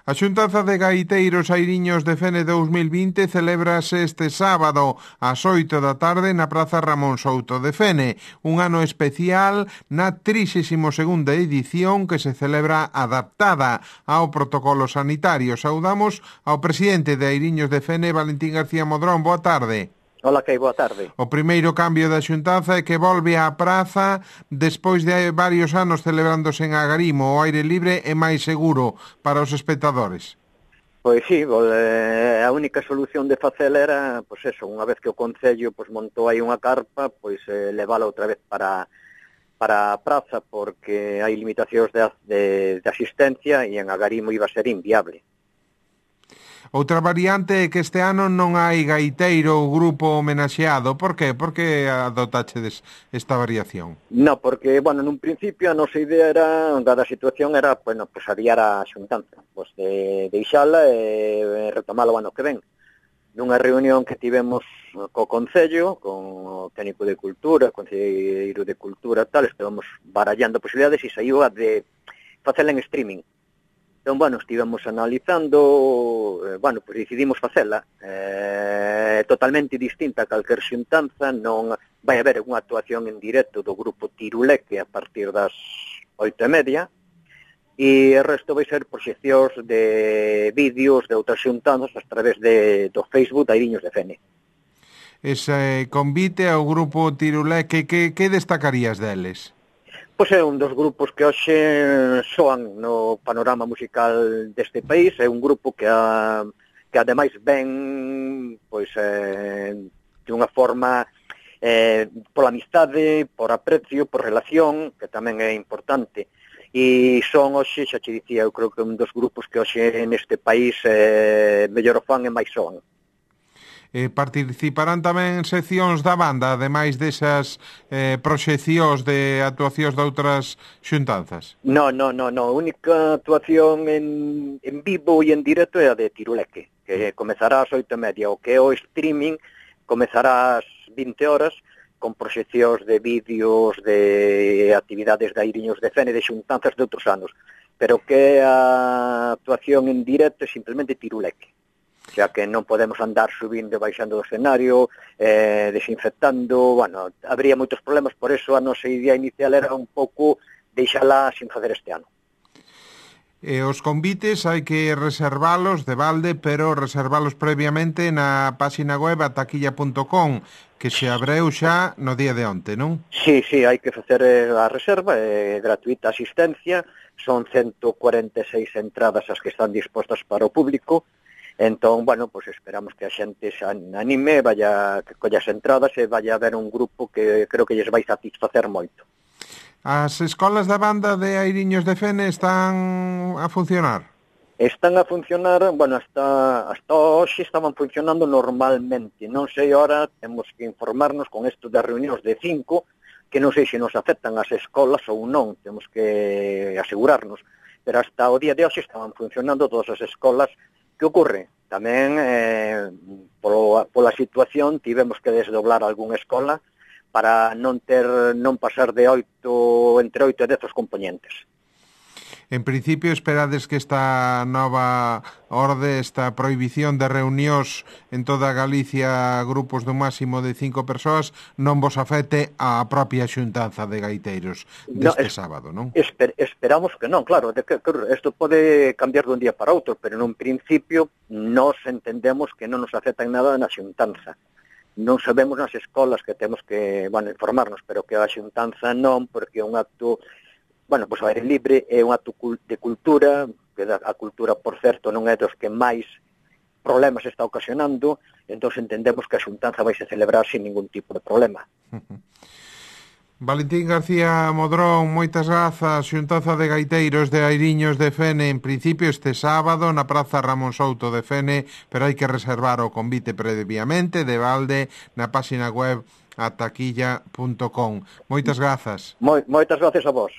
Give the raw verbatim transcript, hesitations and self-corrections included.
A xuntanza de gaiteiros Airiños de Fene dous mil vinte celébrase este sábado ás oito da tarde na Praza Ramón Souto de Fene, un ano especial na trixésima segunda edición que se celebra adaptada ao protocolo sanitario. Saudamos ao presidente de Airiños de Fene, Valentín García Modrón. Boa tarde. Ola, que boa tarde. O primeiro cambio da xuntanza é que volve á praza despois de varios anos celebrándose en Agarimo. O aire libre é máis seguro para os espectadores. Pois sí, a única solución de facela era, pois eso, unha vez que o Concello pois montou aí unha carpa, pois eh, levala outra vez para para a praza, porque hai limitacións de, de, de asistencia e en Agarimo iba a ser inviable. Outra variante é que este ano non hai gaiteiro ou grupo homenaxeado. Por que? Por que adotachedes esta variación? No, porque, bueno, nun principio a nosa idea era, dada a situación, era, bueno, pues adiar a xuntanza, pues de deixala e retomala o ano que ven. Nunha reunión que tivemos co Concello, con o técnico de Cultura, o concelleiro de Cultura, tal, estivemos barallando posibilidades e saiu a de facela en streaming. Entón, bueno, estivemos analizando, eh, bueno, pois decidimos facela eh, totalmente distinta a calquer xuntanza. Non vai haber unha actuación en directo do grupo Tiruleque a partir das oito e media, e o resto vai ser proxeccións de vídeos de outras xuntanzas a través de, do Facebook de Airiños de Fene. Ese convite ao grupo Tiruleque, que, que destacarías deles? Pois é un dos grupos que hoxe soan no panorama musical deste país. É un grupo que, a, que ademais ven pois, eh, de unha forma eh, pola amistade, por aprecio, por relación, que tamén é importante. E son hoxe, xa che dicía, eu creo que un dos grupos que hoxe neste país eh, mellor o fan e máis soan. Eh, participarán tamén seccións da banda, ademais desas eh, proxeccións de actuacións de outras xuntanzas? No, no, no, no. A única actuación en, en vivo e en directo é a de Tiruleque, que comezará ás oito e media. O que é o streaming comezará ás vinte horas, con proxeccións de vídeos de actividades de Airiños de Fene, de xuntanzas de outros anos. Pero que a actuación en directo é simplemente Tiruleque. Xa que non podemos andar subindo e baixando do escenario, eh, desinfectando, bueno, habría moitos problemas, por eso a nosa idea inicial era un pouco deixala sin fazer este ano. E os convites hai que reservalos de balde, pero reservalos previamente na página web ataquilla punto com, que se abreu xa no día de onte, non? Sí, sí, hai que facer a reserva, é gratuita asistencia, son ciento cuarenta e seis entradas as que están dispostas para o público. Entón, bueno, pues esperamos que a xente se anime, vaya, que colla as entradas e vaya a haber un grupo que creo que lles vai satisfacer moito. As escolas da banda de Airiños de Fene están a funcionar? Están a funcionar, bueno, hasta, hasta hoxe estaban funcionando normalmente. Non sei, ahora temos que informarnos con isto das reunións de cinco, que non sei se nos afectan as escolas ou non, temos que asegurarnos. Pero hasta o día de hoxe estaban funcionando todas as escolas. Que ocorre? Tamén, eh, polo, pola situación, tivemos que desdoblar algunha escola para non ter non pasar de oito, entre oito e dez os componentes. En principio, esperades que esta nova orde, esta prohibición de reunións en toda Galicia, grupos dun máximo de cinco persoas, non vos afecte a propia xuntanza de gaiteiros deste no, es, sábado, non? Esper, esperamos que non, claro, de que, que isto pode cambiar dun día para outro, pero nun principio nos entendemos que non nos afecta en nada na xuntanza. Non sabemos nas escolas que temos que, bueno, informarnos, pero que a xuntanza non, porque é un acto... Bueno, pois o aire libre é un acto de cultura, que a cultura, por certo, non é dos que máis problemas está ocasionando, entón entendemos que a xuntanza vai se celebrar sin ningún tipo de problema. Valentín García Modrón, moitas grazas. Xuntanza de gaiteiros de Airiños de Fene, en principio este sábado na Praza Ramón Souto de Fene, pero hai que reservar o convite previamente de balde na página web ataquilla punto com. Moitas grazas. Moi, moitas grazas a vos.